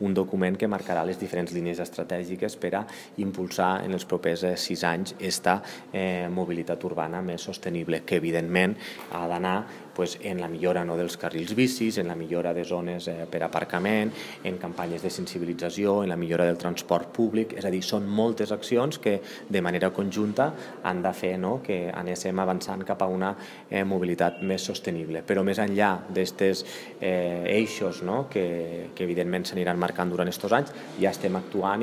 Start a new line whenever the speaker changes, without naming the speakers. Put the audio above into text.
un document que marcarà les diferents línies estratègiques per a impulsar en els propers 6 anys aquesta mobilitat urbana més sostenible, que evidentment ha d'anar en la millora dels carrils bicis, en la millora de zones per aparcament, en campanyes de sensibilització, en la millora del transport públic. És a dir, són moltes accions que de manera conjunta han de fer que anéssim avançant cap a una mobilitat més sostenible. Però més enllà d'aquests eixos que evidentment s'aniran marcant durant aquests anys, ja estem actuant